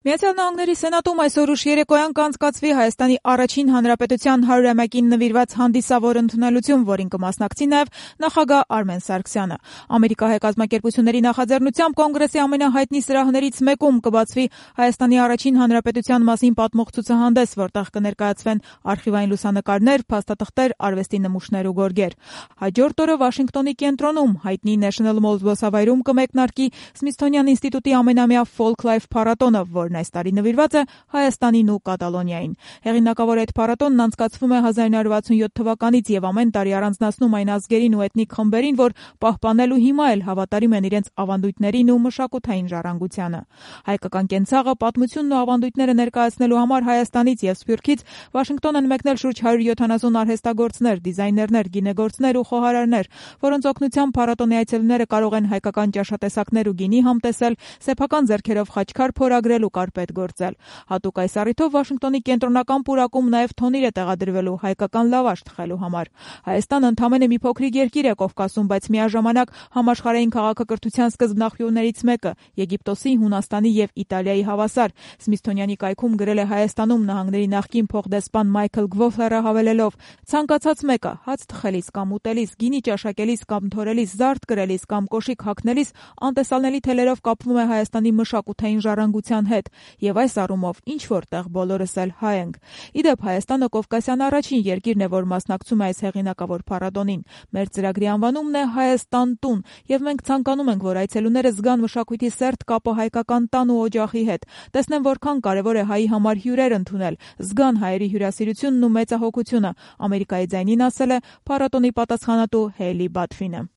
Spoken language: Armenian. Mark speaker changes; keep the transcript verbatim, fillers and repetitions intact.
Speaker 1: Միացյալ Նահանգների Սենատում այսօր ուշ երեկոյան կանցկացվի Հայաստանի առաջին հանրապետության հարյուրամյակին նվիրված հանդիսավոր ընդունելություն, որին կմասնակցի նաև նախագահ Արմեն Սարգսյանը։ Ամերիկահայ կազմակերպությունների նախաձեռնությամբ կոնգրեսի ամենահայտնի սրահներից մեկում կբացվի Հայաստանի առաջին հանրապետության մասին պատմող ցուցահանդես, որտեղ կներկայացվեն արխիվային լուսանկարներ, փաստաթղթեր, արվեստի նմուշներ ու գորգեր։ Հաջորդ օրը Վաշինգտոնի կենտրոնում հայտնի National Mall զբոսավայրում կմեկնարկի Սմիթսոնյան ինստիտուտի ամենամյա Folk Life փառատոնը, որն այս տարի նվիրված է Հայաստանին ու Կատալոնիային։ Հեղինակավոր այդ փառատոնն անցկացվում է հազար նույն հարյուր վաթսունյոթ թվականից եւ ամեն տարի առանձնացնում այն ազգերին ու էթնիկ խմբերին, որ պահպանել ու հիմա էլ հավատարիմ են իրենց ավանդույթներին ու մշակութային ժառանգությանը։ Հայկական կենցաղը, պատմությունն ու ավանդույթները ներկայացնելու համար Հայաստանից եւ Սփյուռքից Վաշինգտոն են մեկնել շուրջ հարյուր յոթանասուն արհեստագործներ, դիզայներներ, գինեգործներ ու խոհարարներ, որոնց օգնությամբ փառատոնի այցելուները կարող են հայկական ճաշատեսակներ ու գինի համտեսել, սեփական ձեռքերով խաչքար փորագրել ու կարպետ գործել։ Հատուկ այս առիթով Վաշինգտոնի կենտրոնական պուրակում նաև թոնիր է տեղադրվելու հայկական լավաշ թխելու համար։ Հայաստանը ընդամենը մի փոքրիկ երկիր է Կովկասում, բայց միաժամանակ համաշխարհային քաղաքակրթության սկզբնաղբյուրներից մեկը, Եգիպտոսի, Հունաստանի եւ Իտալիայի հավասար։ Սմիթսոնյանի կայքում գրել է Հայաստանում նահանգների նախկին փոխդեսպան Մայքլ Գվոֆլերը հավելելով. «Ցանկացած մեկը հաց թխելիս կամ ուտելիս, գինի ճաշակելիս կամ թորելիս, զարդ կրելիս կամ կոշիկ հագնելիս անտեսանելի թելերով կապվում է Հայաստանի մշակութային ժառանգության հետ, եւ այս առումով ինչ որտեղ բոլորս էլ հայ ենք»։ Իդեպ Հայաստանը Կովկասյան առաջին երկիրն է, որ մասնակցում է այս հեղինակավոր փառատոնին։ Մեր ծրագրի անվանումն է Հայաստան տուն, եւ մենք ցանկանում ենք, որ այցելուները զգան մշակույթի սերտ կապը հայկական տան ու օջախի հետ, տեսնեն որքան կարեւոր է հայի համար հյուրեր ընդունել, զգան հայերի հյուրասիրությունն ու մեծահոգությունը, Ամերիկայի ձայնին ասել է փառատոնի պատասխանատու Հեյլի Բաթֆինը։